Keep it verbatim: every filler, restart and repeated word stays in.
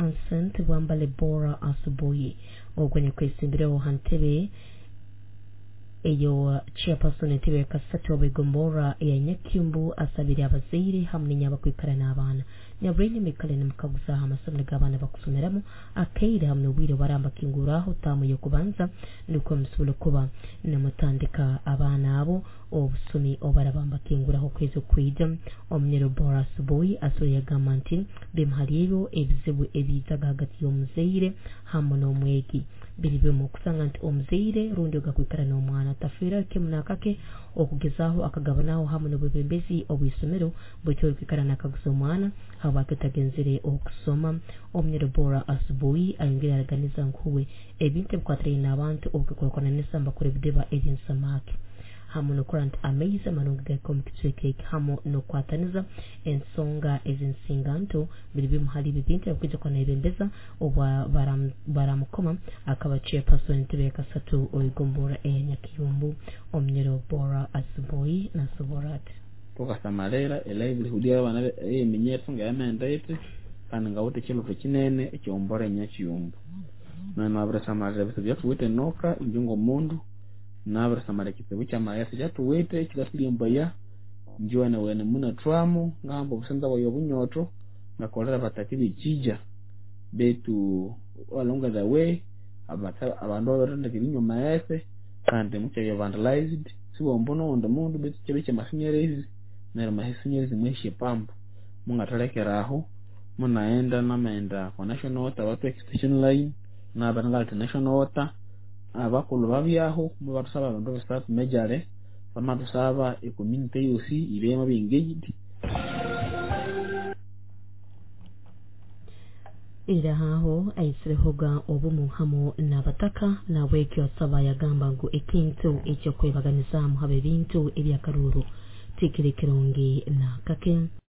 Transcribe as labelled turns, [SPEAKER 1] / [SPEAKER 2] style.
[SPEAKER 1] Ancent Bwambale Bora Asubuhi ogwo nyakwesimbiraho ha ntebe eyo chairperson entebe ya kasatu obwegombora ya Nyakyumbu asabire abazaire hamwe n'enyabakwikara n'abaana nyaburenge mikale nimukaguzaho amasomero g'abaana bakusomeramu akaire hamwe n'obwire baramba kinguraho taamu y'okubanza nukwo musobola kuba nimutandika abaana abo obusumi obarabamba kinguraho okwezi okwija. Omunyoro Bora Asubuhi asobola yagamba nti bimu hali ebyo ebizibu ebiizaga hagati y'omuzaire hamwe n'omwegi biri bimu okusanga nti omuzaire rundi ogakwikara n'omwana tafiira kimu nakake okugezaho akagabanaho hamwe n'obwebembezi obw'isomero bwekyo orikwikara nakaguza omwana habwaki otagenzere okusoma. Omunyoro Bora Asubuhi ayongere araganiza nkuwe ebintu ebikwatiraine n'abantu obukikurakuranisa mbakora ebidiba eby'ensamaki hamwe n'okurora nti amaizi amarungi gahika omu kicweka eki hamwe n'okukwataniza ensonga ez'ensinganto biri bimu hali ebi bintu ebikwija kuba nayebembeza obwa baramukoma akaba chairperson entebe ya kasatu oigombora eya Nyakiyumbu. Omunyoro Bora Asubuhi nasobora ati
[SPEAKER 2] tukasamalira elivelihood y'abaana ey'eminyethu ngeyamaghenda yithi kandi ngawithe ekyilotho kinene ekyombora enyakiyumbu. Nabirisamalira ebitsibu ebyathuwithe enoka inje ngomundu, nabirisamalira ekitsibu kyamaghetse ekyathuwithe ekikathulyembaya inje wenewene munathwamu ngahamba obusinza bwayi obunyotho ngakolera abataka bekyija betu along the way abandu babirithendeka erinywa amaghetse kandi mukyabya vandalized siwombo nowundi mundu betu kyabya kyamasinyerezi neryo amasinyerezi mwahisa epampu mungathalekera aho munaghenda namaghenda okwa national water bathuha extension line nabere ngaletha national water abakulhu babyaho mubathusaba ebindu bisathu majorly bamathusaba ecommunity yosi ibye yamabya engaged.
[SPEAKER 1] Era haho aisirehoga obumu hamu n'abataka nabwekyo asaba yagamba ngu ekintu ekyokwebaganizamu haba ebintu ebyakaruru tikiri kirungi na kake.